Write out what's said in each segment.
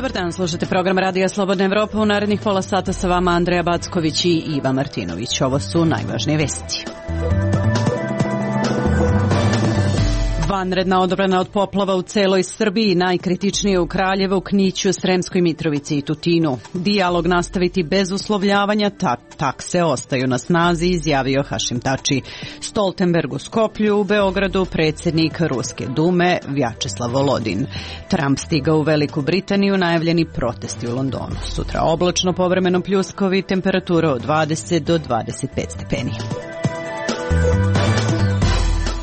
Dobar dan, slušate program Radija Slobodna Evropa. U narednih pola sata sa vama Andreja Backović i Iva Martinović. Ovo su najvažnije vesti. Vanredna odbrana od poplava u celoj Srbiji, najkritičnije u Kraljevu, Kniću, Sremskoj Mitrovici i Tutinu. Dijalog nastaviti bez uslovljavanja, takse ostaju na snazi, izjavio Hašim Tači. Stoltenberg u Skoplju, u Beogradu predsjednik Ruske dume Vjačeslav Volodin. Trump stigao u Veliku Britaniju, najavljeni protesti u Londonu. Sutra oblačno, povremeno pljuskovi, temperatura od 20 do 25 stepeni.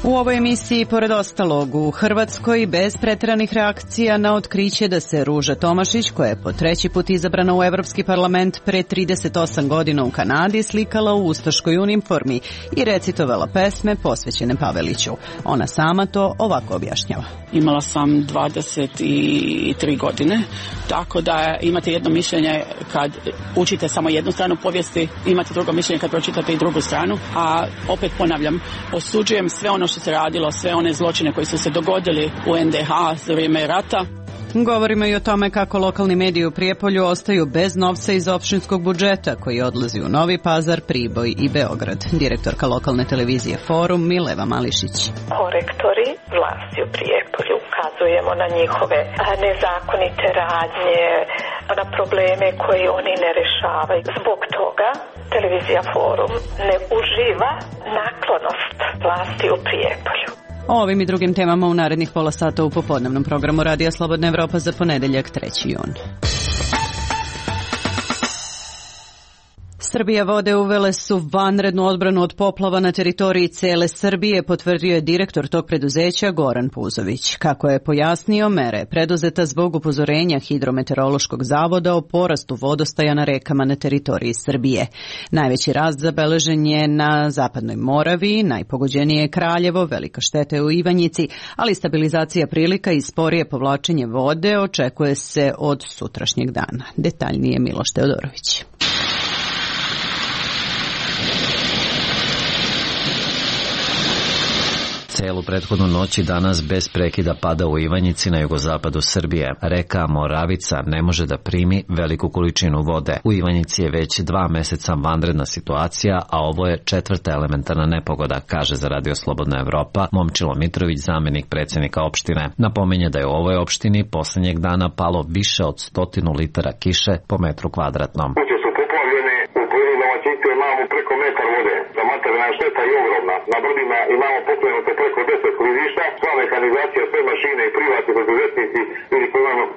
U ovoj emisiji, pored ostalog, u Hrvatskoj bez pretjeranih reakcija na otkriće da se Ruža Tomašić, koja je po treći put izabrana u Evropski parlament pre 38 godina u Kanadi, slikala u ustaškoj uniformi i recitovala pesme posvećene Paveliću. Ona sama to ovako objašnjava. Imala sam 23 godine, tako da imate jedno mišljenje kad učite samo jednu stranu povijesti, imate drugo mišljenje kad pročitate i drugu stranu, a opet ponavljam, osuđujem sve ono što se radilo, sve one zločine koji su se dogodili u NDH za vrijeme rata. Govorimo i o tome kako lokalni mediji u Prijepolju ostaju bez novca iz opštinskog budžeta koji odlazi u Novi Pazar, Priboj i Beograd. Direktorka lokalne televizije Forum Mileva Mališić. Korektori vlasti u Prijepolju, ukazujemo na njihove nezakonite radnje, na probleme koje oni ne rešavaju. Zbog toga televizija Forum ne uživa naklonost vlasti u Prijepolju. O ovim i drugim temama u narednih pola sata u popodnevnom programu Radija Slobodna Evropa za ponedeljak 3. jun. Srbija vode uvele su vanrednu odbranu od poplava na teritoriji cele Srbije, potvrdio je direktor tog preduzeća Goran Puzović. Kako je pojasnio, mere je preduzeta zbog upozorenja Hidrometeorološkog zavoda o porastu vodostaja na rekama na teritoriji Srbije. Najveći rast zabeležen je na Zapadnoj Moravi, najpogođenije je Kraljevo, velika šteta je u Ivanjici, ali stabilizacija prilika i sporije povlačenje vode očekuje se od sutrašnjeg dana. Detaljnije Miloš Teodorović. Celu prethodnu noć i danas bez prekida pada u Ivanjici na jugozapadu Srbije. Reka Moravica ne može da primi veliku količinu vode. U Ivanjici je već 2 meseca vanredna situacija, a ovo je 4. elementarna nepogoda, kaže za Radio Slobodna Evropa Momčilo Mitrović, zamenik predsjednika opštine. Napominje da je u ovoj opštini poslednjeg dana palo više od 100 litara kiše po metru kvadratnom. Kuće su poplavljene, u pojedinim domaćinstvima imamo preko metar vode. Materijalna šteta je ogromna. Na brdima imamo pokrenute preko 10 klizišta, sva mehanizacija, sve mašine i privatni preduzetnici ili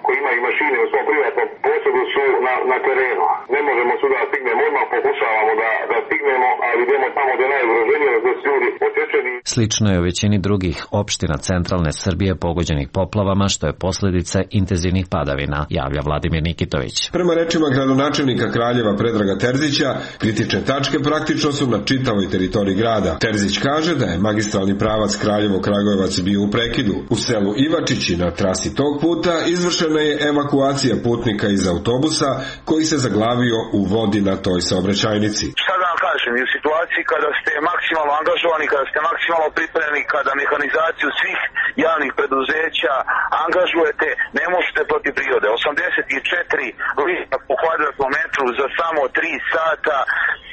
koji imaju mašine u svom privatnom posjedu su na terenu. Ne možemo svuda da stignemo, odmah pokušavamo da stignemo, ali idemo tamo gdje najugroženije, gdje su ljudi odsječeni. Slično je u većini drugih opština centralne Srbije pogođenih poplavama, što je posljedica intenzivnih padavina, javlja Vladimir Nikitović. Prema rečima gradonačelnika Kraljeva Predraga Terzića, kritične tačke praktično su na čitavoj teritoriji grada. Terzić kaže da je magistralni pravac Kraljevo-Kragujevac bio u prekidu. U selu Ivačići na trasi tog puta izvršena je evakuacija putnika iz autobusa koji se zaglavio u vodi na toj saobraćajnici. Šta da vam kažem, u situaciji kada ste maksimalno angažovani, kada ste maksimalno pripremljeni, kada mehanizaciju svih javnih preduzeća angažujete, ne možete protiv prirode. 84 litra po kvadratnom metru za samo 3 sata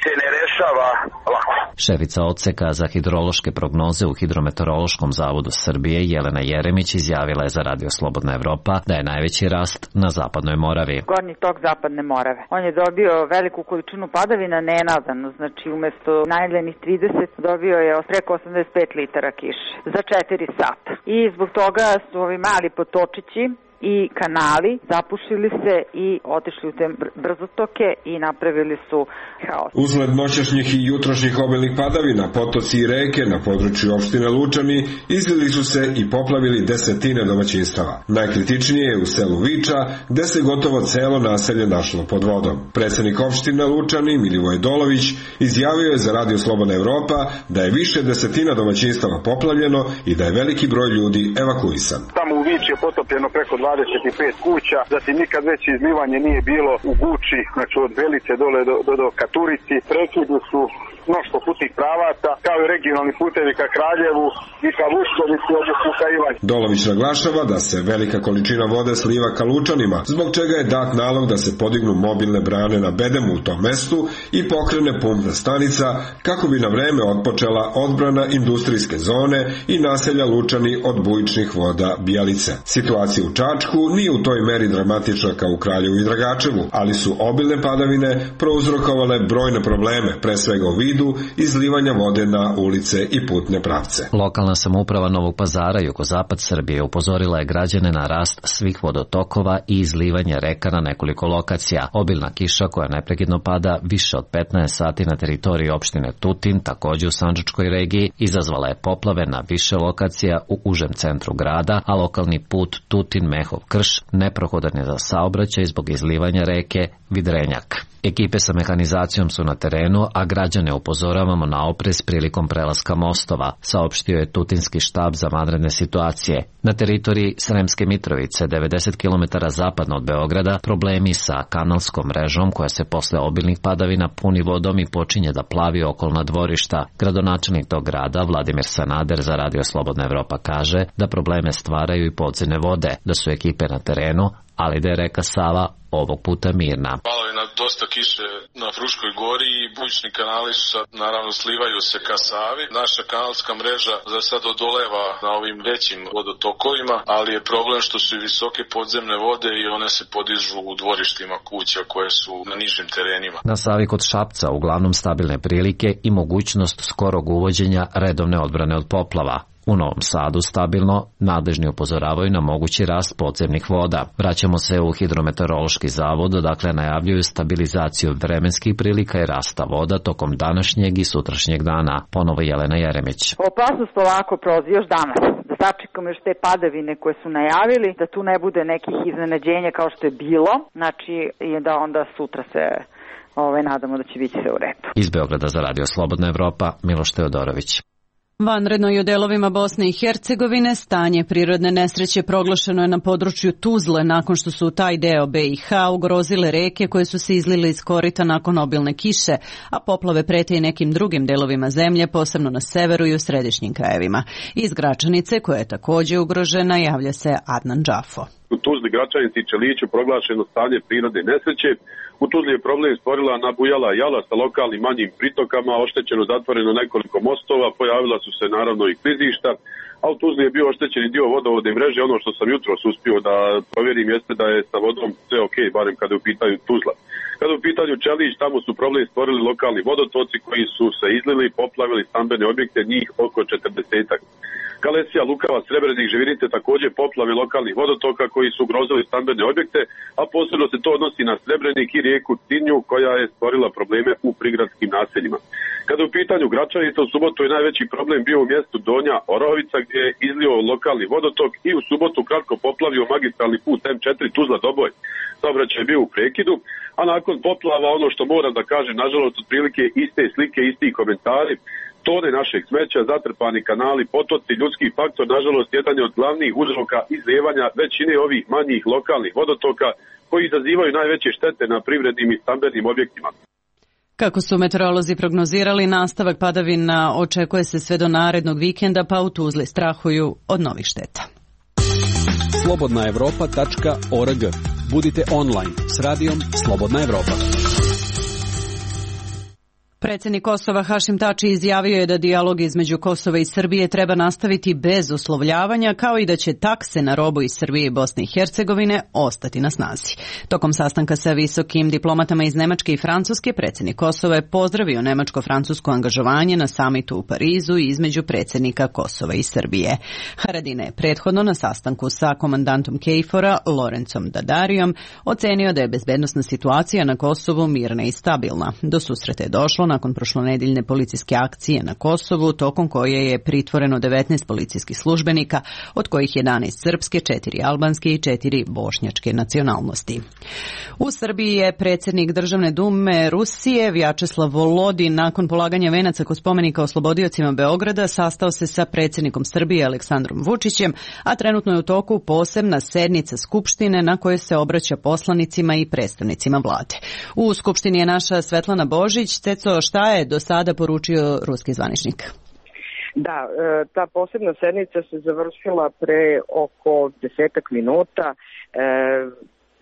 se ne rešava lako. Šefica odseka za hidrološke prognoze u Hidrometeorološkom zavodu Srbije Jelena Jeremić izjavila je za Radio Slobodna Evropa da je najveći rast na Zapadnoj Moravi. Gornji tok Zapadne Morave. On je dobio veliku količinu padavina nenadano, znači umesto najavljenih 30 dobio je preko 85 litara kiše za 4 sata. I zbog toga su ovi mali potočići i kanali zapušili se i otišli u te brzotoke i napravili su haos. Usled noćašnjih i jutrošnjih obilnih padavina, potoci i reke na području opštine Lučani izlili su se i poplavili desetine domaćinstava. Najkritičnije je u selu Viča, gde se gotovo celo naselje našlo pod vodom. Predsjednik opštine Lučani Milivoj Dolović izjavio je za Radio Slobodna Evropa da je više desetina domaćinstava poplavljeno i da je veliki broj ljudi evakuisan. Tamo u Viči je potopljeno preko 25 kuća, zatim nikad veće izlivanje nije bilo u Guči, znači od Belice dole do Katurici. Prekidi su mnoštvo putnih pravaca, kao i regionalni putevi ka Kraljevu i ka Vuškovici, odnosno ka Ivanji. Dolović naglašava da se velika količina vode sliva ka Lučanima, zbog čega je dat nalog da se podignu mobilne brane na bedemu u tom mestu i pokrene pumpna stanica kako bi na vreme otpočela odbrana industrijske zone i naselja Lučani od bujičnih voda Bijalice. Situacija u Čačku nije u toj meri dramatična kao u Kraljevu i Dragačevu, ali su obilne padavine prouzrokovale brojne probleme, pre svega u vidu izlivanja vode na ulice i putne pravce. Lokalna samouprava Novog Pazara i jugozapad Srbije upozorila je građane na rast svih vodotokova i izlivanje reka na nekoliko lokacija. Obilna kiša koja neprekidno pada više od 15 sati na teritoriji opštine Tutin, takođe u Sandžačkoj regiji, izazvala je poplave na više lokacija u užem centru grada, a lokalni put Tutin-Mehov-Krš neprohodan je za saobraćaj zbog izlivanja reke Vidrenjak. Ekipe sa mehanizacijom su na terenu, a građane upozoravamo na oprez prilikom prelaska mostova, saopštio je Tutinski štab za vanredne situacije. Na teritoriji Sremske Mitrovice, 90 km zapadno od Beograda, problemi sa kanalskom mrežom koja se posle obilnih padavina puni vodom i počinje da plavi okolna dvorišta. Gradonačelnik tog grada, Vladimir Sanader, za Radio Slobodna Evropa kaže da probleme stvaraju i podzemne vode, da su ekipe na terenu, ali da je reka Sava ovog puta mirna. Palovina dosta kiše na Fruškoj gori i bujični kanali su sad, naravno, slivaju se ka Savi. Naša kanalska mreža za sad odoleva na ovim većim vodotokovima, ali je problem što su i visoke podzemne vode i one se podižu u dvorištima kuća koje su na nižim terenima. Na Savi kod Šapca uglavnom stabilne prilike i mogućnost skorog uvođenja redovne odbrane od poplava. U Novom Sadu stabilno, nadležni upozoravaju na mogući rast podzemnih voda. Vraćamo se u Hidrometeorološki zavod, dakle najavljuju stabilizaciju vremenskih prilika i rasta voda tokom današnjeg i sutrašnjeg dana. Ponovo Jelena Jeremić. Opasnost polako prolazi još danas. Da sačekamo još te padavine koje su najavili, da tu ne bude nekih iznenađenja kao što je bilo, znači i da onda sutra se nadamo da će biti sve u redu. Iz Beograda za Radio Slobodna Evropa, Miloš Teodorović. Vanredno i u delovima Bosne i Hercegovine stanje prirodne nesreće proglašeno je na području Tuzle nakon što su u taj deo BiH ugrozile reke koje su se izlile iz korita nakon obilne kiše, a poplave prete i nekim drugim delovima zemlje, posebno na severu i u središnjim krajevima. Iz Gračanice, koja je također ugrožena, javlja se Adnan Džafo. U Tuzli, Gračanici i Čeliću proglašeno stanje prirodne nesreće. U Tuzli je problem stvorila nabujala jala sa lokalnim manjim pritokama, oštećeno zatvoreno nekoliko mostova, pojavila su se naravno i klizišta, a u Tuzli je bio oštećeni dio vodovodne mreže. Ono što sam jutros uspio da provjerim jeste da je sa vodom sve ok, barem kada je u pitanju Tuzla. Kada je u pitanju Čelić, tamo su problem stvorili lokalni vodotoci koji su se izlili i poplavili stambene objekte, njih oko 40-ak. Kalesija, Lukava, Srebrenik, Živinice također poplave lokalnih vodotoka koji su ugrozili stambene objekte, a posebno se to odnosi na Srebrenik i rijeku Tinju koja je stvorila probleme u prigradskim naseljima. Kada je u pitanju Gračanica, u subotu je najveći problem bio u mjestu Donja Orovica gdje je izlio lokalni vodotok i u subotu kratko poplavio magistralni put M4 Tuzla-Doboj. Saobraćaj je bio u prekidu, a nakon poplava ono što moram da kažem, nažalost, otprilike iste slike, isti komentari, tone našeg smeća, zatrpani kanali, potoci, ljudski faktor, nažalost, jedan je od glavnih uzroka izlijevanja većine ovih manjih lokalnih vodotoka koji izazivaju najveće štete na privrednim i stambenim objektima. Kako su meteorolozi prognozirali, nastavak padavina očekuje se sve do narednog vikenda, pa u Tuzli strahuju od novih šteta. slobodnaevropa.org. Budite online s radijom Slobodna Evropa. Predsjednik Kosova Hašim Tači izjavio je da dijalog između Kosova i Srbije treba nastaviti bez uslovljavanja, kao i da će takse na robu iz Srbije i Bosne i Hercegovine ostati na snazi. Tokom sastanka sa visokim diplomatama iz Nemačke i Francuske, predsjednik Kosova je pozdravio nemačko-francusko angažovanje na samitu u Parizu između predsjednika Kosova i Srbije. Haradina je prethodno na sastanku sa komandantom KFOR-a Lorencom Dadarijom ocenio da je bezbednosna situacija na Kosovu mirna i stabilna. Do susreta je došlo nakon prošlonedeljne policijske akcije na Kosovu, tokom koje je pritvoreno 19 policijskih službenika, od kojih 11 srpske, 4 albanske i 4 bošnjačke nacionalnosti. U Srbiji je predsjednik Državne dume Rusije Vjačeslav Volodin nakon polaganja venaca kod spomenika oslobodiocima Beograda sastao se sa predsjednikom Srbije Aleksandrom Vučićem, a trenutno je u toku posebna sednica Skupštine na kojoj se obraća poslanicima i predstavnicima vlade. U Skupštini je naša Svetlana Božić. Ceco, čuo šta je do sada poručio ruski zvaničnik. Da, ta posebna sednica se završila pre oko 10 minuta.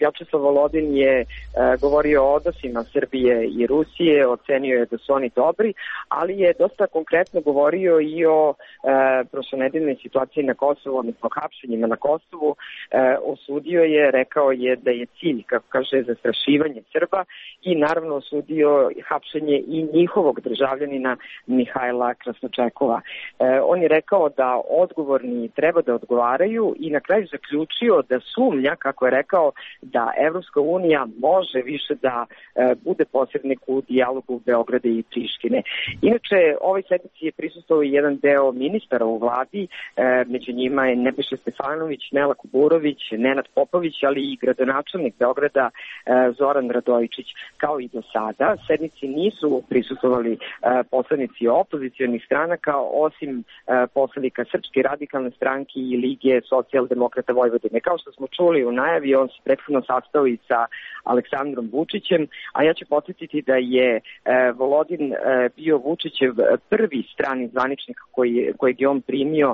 Vjačeslav Volodin je govorio o odnosima Srbije i Rusije, ocenio je da su oni dobri, ali je dosta konkretno govorio i o prošlonedeljnoj situaciji na Kosovu, odnosno hapšenjima na Kosovu. Osudio je, rekao je da je cilj, kako kaže, zastrašivanje Srba i naravno osudio hapšenje i njihovog državljanina Mihajla Krasnočekova. On je rekao da odgovorni treba da odgovaraju i na kraju zaključio da sumnja, kako je rekao, da Evropska unija može više da bude posrednik u dijalogu Beograda i Prištine. Inače, ovoj sednici je prisustvovao i jedan deo ministara u vladi, među njima je Nebojša Stefanović, Nela Kuburović, Nenad Popović, ali i gradonačelnik Beograda Zoran Radojičić. Kao i do sada, sednici nisu prisustvovali poslanici opozicionih stranaka, osim poslanika Srpske radikalne stranke i Lige socijaldemokrata Vojvodine. Kao što smo čuli u najavi, on se prethodno sastao i sa Aleksandrom Vučićem, a ja ću podsjetiti da je Volodin bio Vučićev prvi strani zvaničnik kojeg je on primio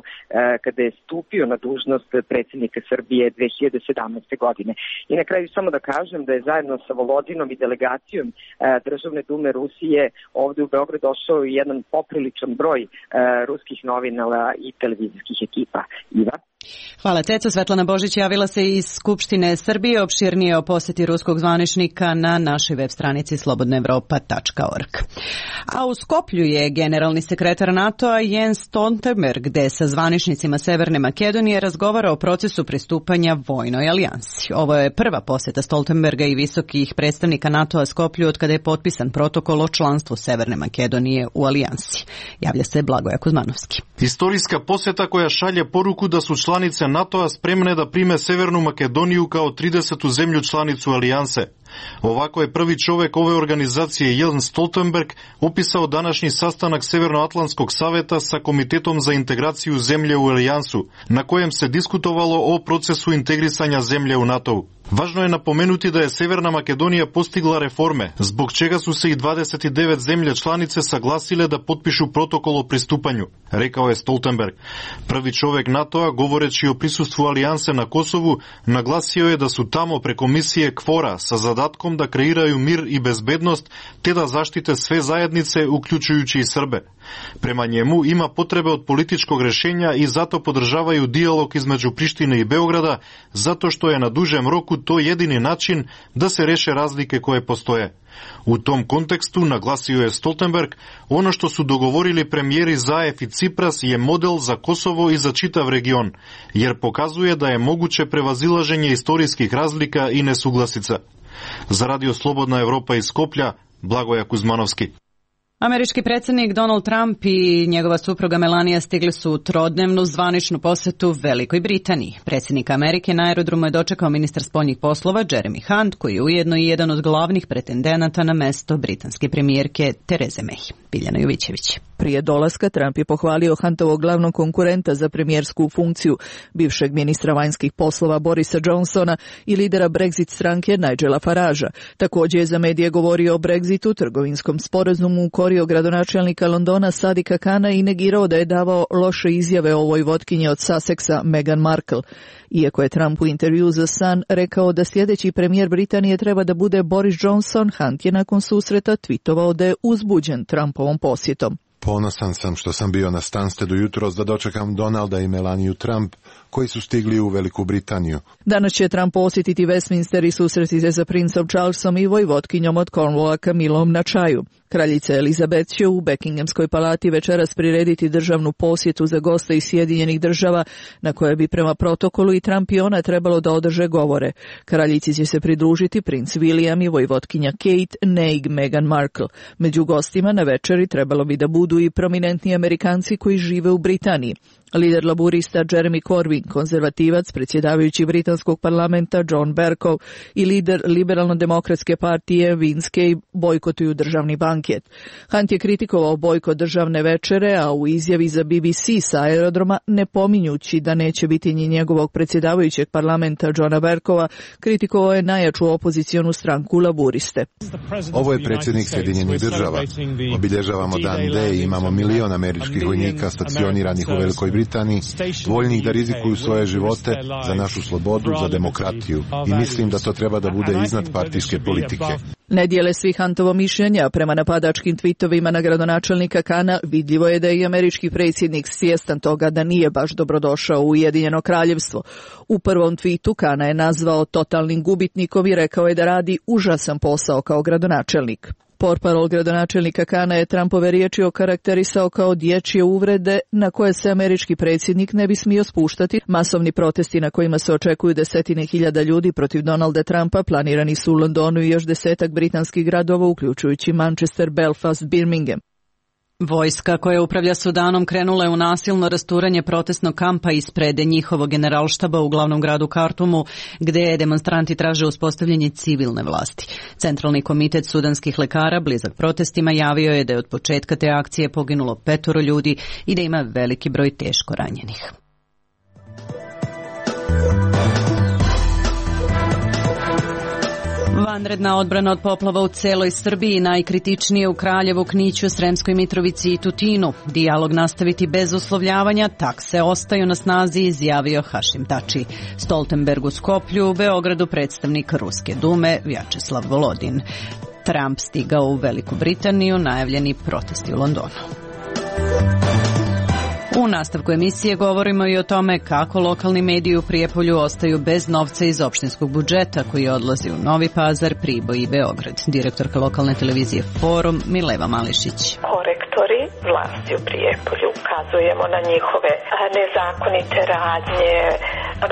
kada je stupio na dužnost predsjednika Srbije 2017. godine. I na kraju samo da kažem da je zajedno sa Volodinom i delegacijom Državne dume Rusije ovde u Beograd došao i jedan popriličan broj ruskih novinara i televizijskih ekipa. Iva? Hvala, Ceco. Svetlana Božić javila se iz Skupštine Srbije. Opširnije o poseti ruskog zvaničnika na našoj web stranici slobodnaevropa.org. A u Skoplju je generalni sekretar NATO-a Jens Stoltenberg, gde sa zvaničnicima Severne Makedonije razgovara o procesu pristupanja vojnoj alijansi. Ovo je prva poseta Stoltenberga i visokih predstavnika NATO-a Skoplju od kada je potpisan protokol o članstvu Severne Makedonije u alijansi. Javlja se Blagoja Kuzmanovski. Istorijska poseta koja šalje poruku da su članice NATO-a spremne da prime Severnu Makedoniju kao 30. zemlju članicu alijanse. Ovako je prvi čovek ove organizacije Jens Stoltenberg opisao današnji sastanak Severnoatlantskog saveta sa Komitetom za integraciju zemlje u alijansu, na kojem se diskutovalo o procesu integrisanja zemlje u NATO-u. Važno je napomenuti da je Severna Makedonija postigla reforme, zbog čega su se i 29 zemlje članice saglasile da potpišu protokol o pristupanju, rekao je Stoltenberg. Prvi čovek NATO-a, govoreći o prisustvu alijanse na Kosovu, naglasio je da su tamo preko misije KFOR-a sa zadatkom da kreiraju mir i bezbednost, te da zaštite sve zajednice, uključujući i Srbe. Prema njemu ima potrebe od političkog rešenja i zato podržavaju dijalog između Prištine i Beograda, zato što je na dužem roku to jedini način da se reše razlike koje postoje. U tom kontekstu, naglasio je Stoltenberg, ono što su dogovorili premijeri Zaev i Cipras je model za Kosovo i za čitav region, jer pokazuje da je moguće prevazilaženje istorijskih razlika i nesuglasica. Za Radio Slobodna Evropa iz Skoplja, Blagoja Kuzmanovski. Američki predsjednik Donald Trump i njegova supruga Melania stigli su u trodnevnu zvaničnu posetu Velikoj Britaniji. Predsjednik Amerike na aerodromu je dočekao ministar spoljnih poslova Jeremy Hunt, koji je ujedno i jedan od glavnih pretendenata na mesto britanske premijerke Tereze May. Biljana Jovićević. Prije dolaska Trump je pohvalio Huntovog glavnog konkurenta za premijersku funkciju, bivšeg ministra vanjskih poslova Borisa Johnsona i lidera Brexit stranke Nigela Faragea. Također je za medije govorio o Brexitu, trgovinskom sporazumu, ukorio gradonačelnika Londona Sadika Kana i negirao da je davao loše izjave o ovoj votkinji od Sussexa Meghan Markle. Iako je Trump u intervju za Sun rekao da sljedeći premijer Britanije treba da bude Boris Johnson, Hunt je nakon susreta tweetovao da je uzbuđen Trumpovom posjetom. Ponosan sam što sam bio na Stanstedu jutros da dočekam Donalda i Melaniju Trump, koji su stigli u Veliku Britaniju. Danas će Trump posjetiti Westminster i susreti se sa princom Charlesom i vojvotkinjom od Cornwalla Camillom na čaju. Kraljica Elizabeth će u Buckinghamskoj palati večeras prirediti državnu posjetu za goste iz Sjedinjenih država, na koje bi prema protokolu i Trump i ona trebalo da održe govore. Kraljici će se pridružiti princ William i vojvotkinja Kate, neg Meghan Markle. Među gostima na večeri trebalo bi da budu i prominentni Amerikanci koji žive u Britaniji. Lider laburista Jeremy Corbyn, konzervativac, predsjedavajući britanskog parlamenta John Bercow i lider liberalno-demokratske partije Vince Cave bojkotuju državni banket. Hunt je kritikovao bojkot državne večere, a u izjavi za BBC sa aerodroma, ne pominjući da neće biti ni njegovog predsjedavajućeg parlamenta Johna Bercowa, kritikovao je najjaču opozicionu stranku laburiste. Ovo je predsjednik Sjedinjenih država. Obilježavamo dan D i imamo milion američkih vojnika stacioniranih u Velikoj Britaniji, voljnih da rizikuju svoje živote za našu slobodu, za demokratiju. I mislim da to treba da bude iznad partijske politike. Ne dijele svi Huntovo mišljenja. Prema napadačkim tvitovima na gradonačelnika Kana vidljivo je da je i američki predsjednik svjestan toga da nije baš dobrodošao u Ujedinjeno kraljevstvo. U prvom tvitu Kana je nazvao totalnim gubitnikom i rekao je da radi užasan posao kao gradonačelnik. Portparol gradonačelnika Kana je Trumpove riječi okarakterisao kao dječje uvrede na koje se američki predsjednik ne bi smio spuštati. Masovni protesti na kojima se očekuju desetine hiljada ljudi protiv Donalda Trumpa planirani su u Londonu i još 10 britanskih gradova, uključujući Manchester, Belfast, Birmingham. Vojska koja upravlja Sudanom krenula je u nasilno rasturanje protestnog kampa ispred njihovog generalštaba u glavnom gradu Kartumu, gdje demonstranti traže uspostavljanje civilne vlasti. Centralni komitet sudanskih lekara, blizak protestima, javio je da je od početka te akcije poginulo 5 ljudi i da ima veliki broj teško ranjenih. Vanredna odbrana od poplava u celoj Srbiji, najkritičnije u Kraljevu, Kniću, Sremskoj Mitrovici i Tutinu. Dijalog nastaviti bez uslovljavanja, takse ostaju na snazi, izjavio Hašim Tači. Stoltenberg u Skoplju, u Beogradu predstavnik Ruske dume Vjačeslav Volodin. Trump stigao u Veliku Britaniju, najavljeni protesti u Londonu. U nastavku emisije govorimo i o tome kako lokalni mediji u Prijepolju ostaju bez novca iz opštinskog budžeta koji odlazi u Novi Pazar, Priboj i Beograd. Direktorka lokalne televizije Forum Mileva Mališić. Korektori vlasti u Prijepolju ukazujemo na njihove nezakonite radnje,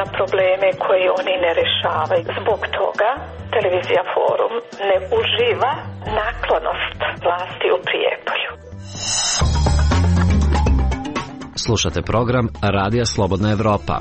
na probleme koje oni ne rešavaju. Zbog toga televizija Forum ne uživa naklonost vlasti u Prijepolju. Slušate program Radija Slobodna Evropa.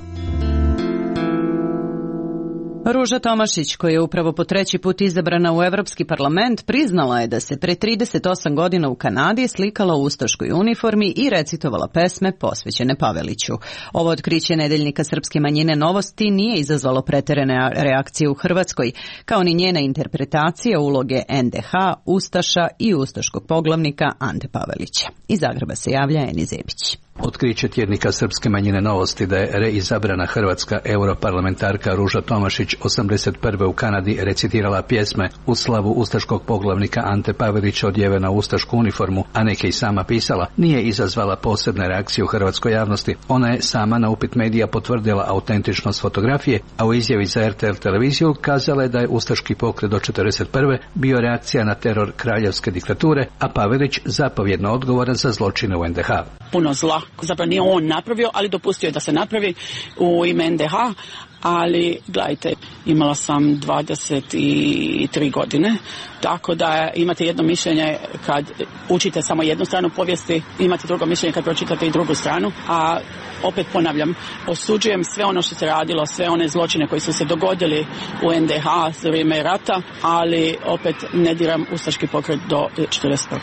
Ruža Tomašić, koja je upravo po 3. put izabrana u Evropski parlament, priznala je da se pre 38 godina u Kanadi slikala u ustaškoj uniformi i recitovala pesme posvećene Paveliću. Ovo otkriće nedeljnika srpske manjine Novosti nije izazvalo preterane reakcije u Hrvatskoj, kao ni njena interpretacija uloge NDH, Ustaša i ustaškog poglavnika Ante Pavelića. Iz Zagreba se javlja Eni Zebić. Otkriće tjednika srpske manjine Novosti da je reizabrana hrvatska europarlamentarka Ruža Tomašić 81. u Kanadi recitirala pjesme u slavu ustaškog poglavnika Ante Pavelića odjevena u ustašku uniformu, a neke i sama pisala, nije izazvala posebne reakcije u hrvatskoj javnosti. Ona je sama na upit medija potvrdila autentičnost fotografije, a u izjavi za RTL televiziju kazala je da je ustaški pokret do 41. bio reakcija na teror kraljevske diktature, a Pavelić zapovjedno odgovoran za zločine u NDH. Puno zla, zapravo nije on napravio, ali dopustio je da se napravi u ime NDH, ali gledajte, imala sam 23 godine, tako da imate jedno mišljenje kad učite samo jednu stranu povijesti, imate drugo mišljenje kad pročitate i drugu stranu, a opet ponavljam, osuđujem sve ono što se radilo, sve one zločine koji su se dogodili u NDH za vrijeme rata, ali opet ne diram ustaški pokret do 41.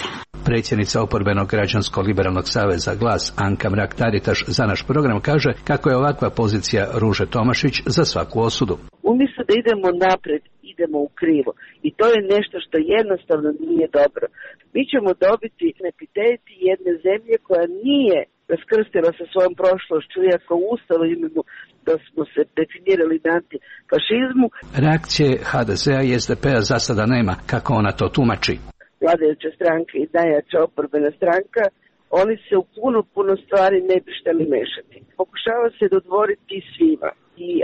Predsjednica oporbenog građansko-liberalnog saveza Glas Anka Mrak-Taritaš za naš program kaže kako je ovakva pozicija Ruže Tomašić za svaku osudu. Umjesto da idemo napred, idemo u krivo. I to je nešto što jednostavno nije dobro. Mi ćemo dobiti epitet jedne zemlje koja nije raskrstila sa svojom prošlošću, iako u Ustavu imamo da smo se definirali na antifašizmu. Reakcije HDZ-a i SDP-a za sada nema, kako ona to tumači. Vladajuća stranka i najjača oporbena stranka, oni se u puno stvari ne bi šteli mešati. Pokušava se dodvoriti svima,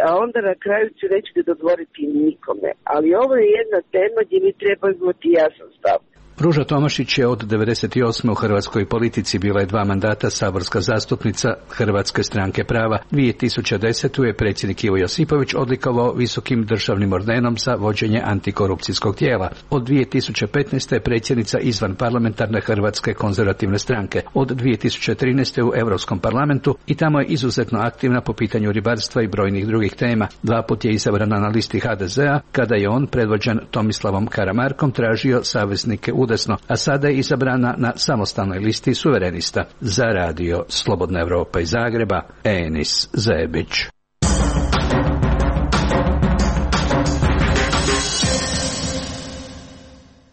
a onda na kraju će nećete dodvoriti nikome. Ali ovo je jedna tema gdje mi treba imati jasan stav. Ruža Tomašić je od 1998. u hrvatskoj politici, bila je 2 mandata saborska zastupnica Hrvatske stranke prava. 2010. je predsjednik Ivo Josipović odlikovao visokim državnim ordenom za vođenje antikorupcijskog tijela. Od 2015. je predsjednica izvan parlamentarne Hrvatske konzervativne stranke. Od 2013. u Europskom parlamentu i tamo je izuzetno aktivna po pitanju ribarstva i brojnih drugih tema. 2 puta je izabrana na listi HDZ-a, kada je on, predvođen Tomislavom Karamarkom, tražio saveznike udesno, a sada je izabrana na samostalnoj listi suverenista. Za radio Slobodna Evropa iz Zagreba, Enis Zebić.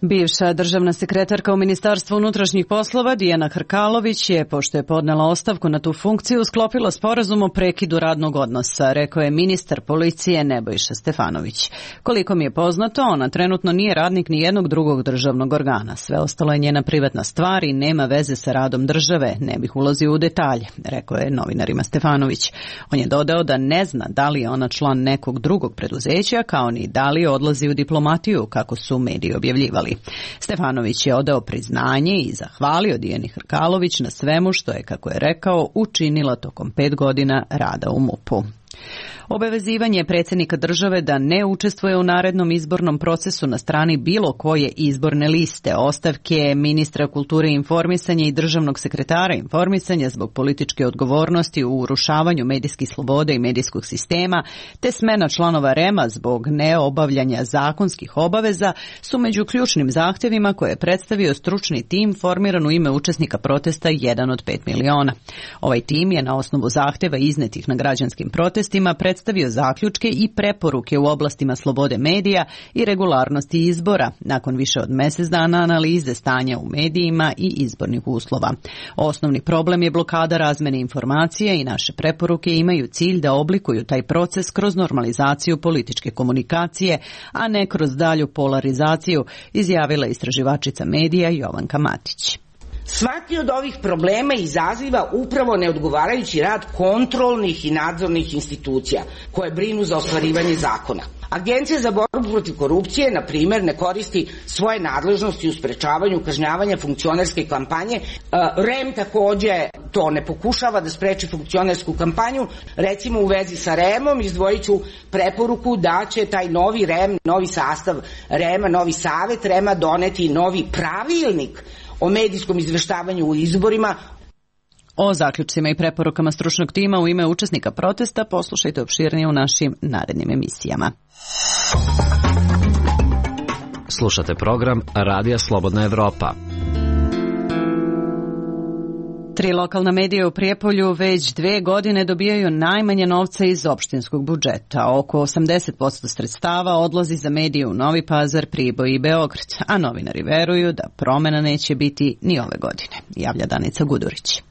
Bivša državna sekretarka u Ministarstvu unutrašnjih poslova Dijana Hrkalović je, pošto je podnela ostavku na tu funkciju, sklopila sporazum o prekidu radnog odnosa, rekao je ministar policije Nebojša Stefanović. Koliko mi je poznato, ona trenutno nije radnik ni jednog drugog državnog organa. Sve ostalo je njena privatna stvar i nema veze sa radom države. Ne bih ulazio u detalje, rekao je novinarima Stefanović. On je dodao da ne zna da li je ona član nekog drugog preduzeća, kao ni da li odlazi u diplomatiju, kako su mediji objavljivali. Stefanović je odao priznanje i zahvalio Dijani Hrkalović na svemu što je, kako je rekao, učinila tokom 5 godina rada u MUP-u. Obavezivanje predsjednika države da ne učestvuje u narednom izbornom procesu na strani bilo koje izborne liste, ostavke ministra kulture i informisanja i državnog sekretara informisanja zbog političke odgovornosti u urušavanju medijskih sloboda i medijskog sistema, te smena članova REM-a zbog neobavljanja zakonskih obaveza su među ključnim zahtjevima koje je predstavio stručni tim formiran u ime učesnika protesta 1 od 5 miliona. Ovaj tim je na osnovu zahtjeva iznetih na građanskim protestima predstavio zaključke i preporuke u oblastima slobode medija i regularnosti izbora nakon više od mjesec dana analize stanja u medijima i izbornih uslova. Osnovni problem je blokada razmjene informacija i naše preporuke imaju cilj da oblikuju taj proces kroz normalizaciju političke komunikacije, a ne kroz dalju polarizaciju, izjavila istraživačica medija Jovanka Matić. Svaki od ovih problema izaziva upravo neodgovarajući rad kontrolnih i nadzornih institucija koje brinu za ostvarivanje zakona. Agencija za borbu protiv korupcije, na primjer, ne koristi svoje nadležnosti u sprečavanju kažnjavanja funkcionerske kampanje. REM također to ne pokušava da spreči funkcionersku kampanju. Recimo u vezi sa REM-om izdvojit ću preporuku da će taj novi REM, novi sastav REM-a, novi savet REM-a doneti novi pravilnik o medijskom izveštavanju u izborima. O zaključcima i preporukama stručnog tima u ime učesnika protesta poslušajte opširnije u našim narednim emisijama. Slušate program Radija Slobodna Evropa. 3 lokalna medija u Prijepolju već 2 godine dobijaju najmanje novca iz opštinskog budžeta. Oko 80% sredstava odlazi za medije u Novi Pazar, Priboj i Beograd, a novinari veruju da promjena neće biti ni ove godine, javlja Danica Gudurić.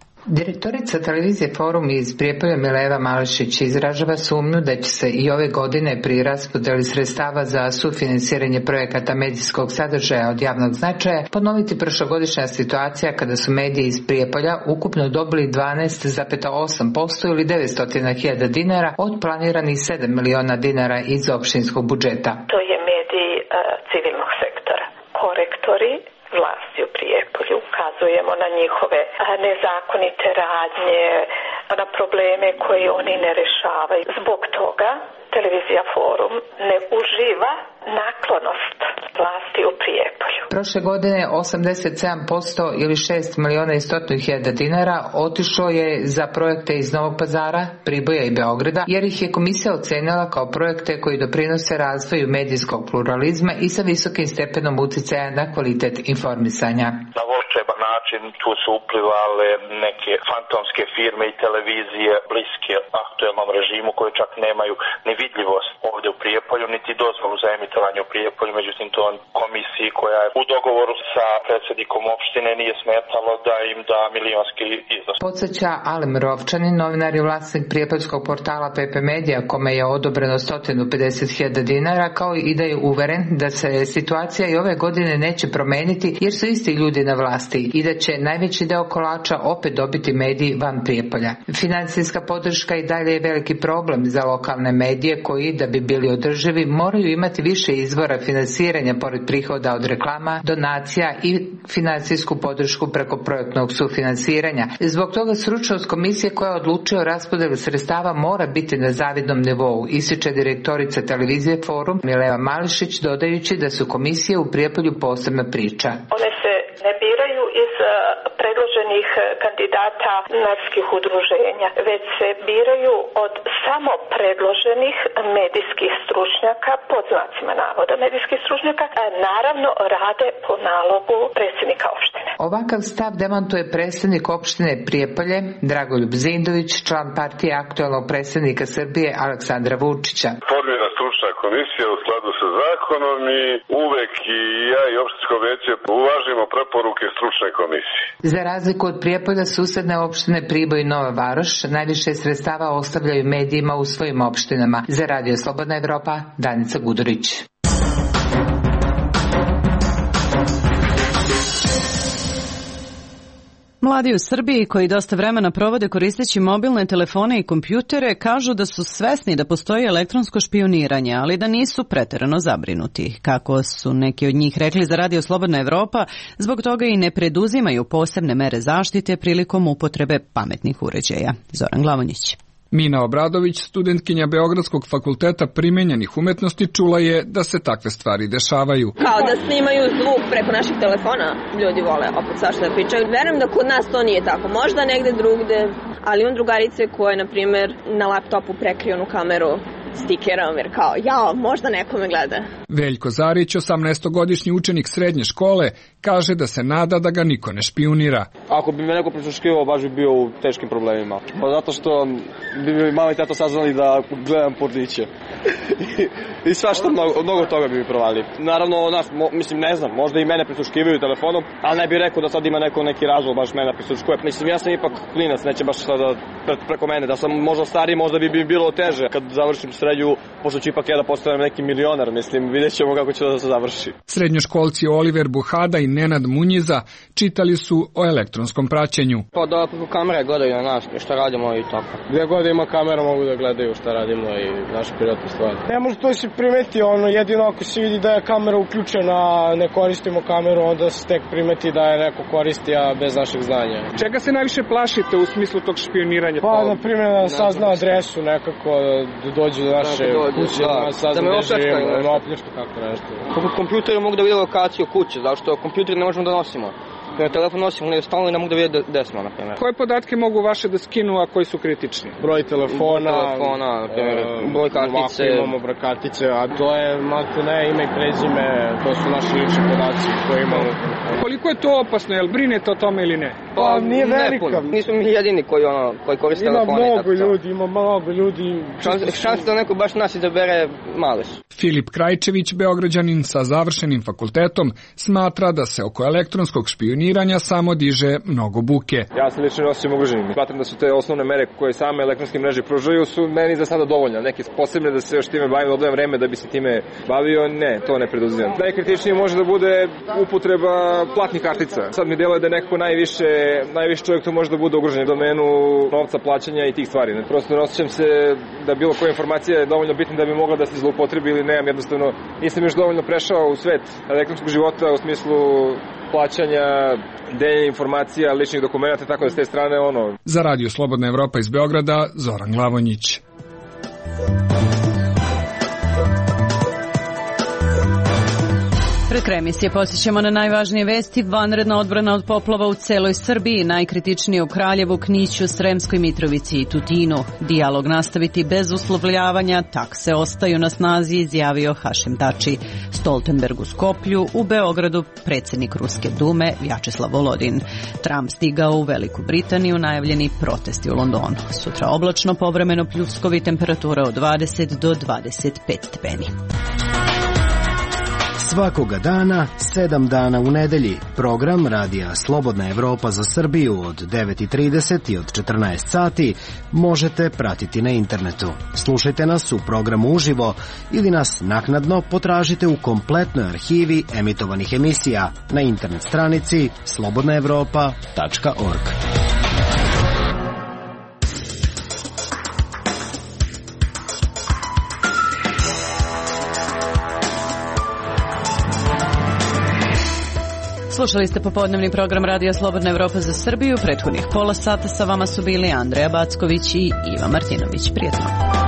Direktorica televizije Forum iz Prijepolja Mileva Malešić izražava sumnju da će se i ove godine pri raspodeli sredstava za sufinansiranje projekata medijskog sadržaja od javnog značaja ponoviti prošlogodišnja situacija kada su mediji iz Prijepolja ukupno dobili 12,8% ili 900.000 dinara od planiranih 7 miliona dinara iz opštinskog budžeta. To je mediji civilnog sektora. Korektori vlasti u Prijepolju, ukazujemo na njihove nezakonite radnje, na probleme koje oni ne rešavaju. Zbog toga televizija Forum ne uživa naklonost vlasti u Prijepolju. Prošle godine 87% ili 6.100.000 dinara otišlo je za projekte iz Novog Pazara, Priboja i Beograda, jer ih je komisija ocenila kao projekte koji doprinose razvoju medijskog pluralizma i sa visokim stepenom uticaja na kvalitet informisanja. Na volšeban način tu su uplivale neke fantomske firme i televizije bliske aktuelnom režimu koje čak nemaju ni vidljivost ovdje u Prijepolju, niti dozvolu za emitovanje u Prijepolju, međutim to komisiji koja je u dogovoru sa predsjednikom opštine nije smetalo da im da milionski iznos. Podsjeća Alem Rovčanin, novinar i vlasnik prijepoljskog portala PP Media, kome je odobreno 150.000 dinara, kao i da je uveren da se situacija i ove godine neće promeniti jer su isti ljudi na vlasti i da će najveći deo kolača opet dobiti mediji van Prijepolja. Financijska podrška i dalje je veliki problem za lokalne medije koji, da bi bili održivi, moraju imati više izvora finansiranja pored prihoda od reklama, donacija i financijsku podršku preko projektnog sufinansiranja. Zbog toga stručnost komisije koja odlučuje o raspodelu sredstava mora biti na zavidnom nivou, ističe direktorica televizije Forum Mileva Mališić, dodajući da su komisije u Prijepolju posebna priča. One se ne biraju iz predloženih kandidata medijskih udruženja, već se biraju od samo predloženih medijskih stručnjaka, pod znacima navoda medijskih stručnjaka, naravno rade po nalogu predsjednika opštine. Ovakav stav demantuje predsjednik opštine Prijepolje, Dragoljub Zindović, član partije aktuelnog predsjednika Srbije Aleksandra Vučića. Formira stručna komisija u skladu sa zakonom i uvek i ja i opštinsko veće uvažimo preporuke stručne komisije. Za razliku od Prijepolja, susedne opštine Priboj i Nova Varoš najviše sredstava ostavljaju medijima u svojim opštinama. Za Radio Slobodna Evropa, Danica Gudurić. Mladi u Srbiji koji dosta vremena provode koristeći mobilne telefone i kompjutere kažu da su svesni da postoji elektronsko špijuniranje, ali da nisu preterano zabrinuti. Kako su neki od njih rekli za Radio Slobodna Evropa, zbog toga i ne preduzimaju posebne mere zaštite prilikom upotrebe pametnih uređaja. Zoran Glavonjić. Mina Obradović, studentkinja Beogradskog fakulteta primenjenih umetnosti, čula je da se takve stvari dešavaju. Kao da snimaju zvuk preko naših telefona, ljudi vole opet svašta da pričaju. Verujem da kod nas to nije tako, možda negde drugde, ali imam drugarice koje, na primjer, na laptopu prekriju onu kameru stikerom, jer kao, jao, možda neko me gleda. Veljko Zarić, 18-godišnji učenik srednje škole, kaže da se nada da ga niko ne špijunira. Ako bi me neko prisluškivao, baš bi bio u teškim problemima. Pa zato što bi mi mama i tata saznali da gledam porniće. I svašta, mnogo toga bi mi provali. Naravno, mislim, ne znam, možda i mene prisluškivaju telefonom, ali ne bih rekao da sad ima neki razlog baš mene prisluškuje. Mislim, ja sam ipak klinac, neće baš sada preko mene. Da sam možda stariji, možda bi bilo teže. Kad završim srednju, pošto ću ipak ja da postanem neki milionar, mislim, vidjet ćemo kako će da se završi. Srednjoškolci Oliver Buhada i Nenad Munjiza čitali su o elektronskom praćenju. Pa da preko kamere gledaju na nas, šta radimo i tako. Gdje god ima kamera mogu da gledaju šta radimo i naše privatne stvari. Ne može to se primeti, jedino ako se vidi da je kamera uključena, ne koristimo kameru, onda se tek primeti da je neko koristi, a bez našeg znanja. Čega se najviše plašite u smislu tog špijuniranja? Pa, na primjer, da sazna adresu nekako, da dođe do naše kuće, da sazna gde živimo, da opljačku kako nešto. Kako kompjuteri mogu da vide lokaciju kuće, zašto kompjuteri ne možemo da nosimo. Na telefon nosimo, ne stalno i ne mogu da vide gde smo, na primjer. Koje podatke mogu vaše da skinu, a koji su kritični? Broj telefona, na primjer, broj kartice. Imamo broj kartice, a to je maltene ime i prezime, to su naši lični podaci koje imamo. Koliko je to opasno, jel brinete o tome ili ne? Pa nije velika. Nismo mi jedini koji koriste telefone. Ima mnogo ljudi. Šanse da neko baš nas izabere male su. Filip Krajčević, Beograđanin sa završenim fakultetom, smatra da se oko elektronskog špijuniranja samo diže mnogo buke. Ja se lično osećam ugroženim. Smatram da su te osnovne mere koje same elektronske mreže pružaju su meni za sada dovoljne. Neke posebne da se još time bavim, odvojem vreme da bi se time bavio, ne, to ne preduzimam. Najkritičnije može da bude upotreba platnih kartica. Sad mi deluje da nekako najviše čovjek to može da bude ugrožen u domenu novca, plaćanja i tih stvari. Prosto ne osjećam se da bilo koja informacija je dovoljno bitna da bi mogla da se zloupotrebi ili nemam, jednostavno nisam još dovoljno prešao u svet elektronskog života u smislu plaćanja, deljenja informacija, ličnih dokumenta, tako da s te strane Za Radio Slobodna Evropa iz Beograda, Zoran Glavonjić. Pred kraj emisije posjećamo na najvažnije vesti. Vanredna odbrana od poplava u celoj Srbiji, najkritičnije u Kraljevu, Kniću, Sremskoj Mitrovici i Tutinu. Dijalog nastaviti bez uslovljavanja, takse ostaju na snazi, izjavio Hašim Tači. Stoltenberg u Skoplju, u Beogradu predsjednik Ruske dume Vjačeslav Volodin. Trump stigao u Veliku Britaniju, najavljeni protesti u Londonu. Sutra oblačno, povremeno pljuskovi, temperatura od 20 do 25 stepeni. Svakoga dana, 7 dana u nedelji. Program Radija Slobodna Evropa za Srbiju od 9:30 i od 14 sati možete pratiti na internetu. Slušajte nas u programu uživo ili nas naknadno potražite u kompletnoj arhivi emitovanih emisija na internet stranici slobodnaevropa.org. Slušali ste popodnevni program Radija Slobodna Evropa za Srbiju. Prethodnih pola sata sa vama su bili Andreja Backović i Iva Martinović. Prijatno.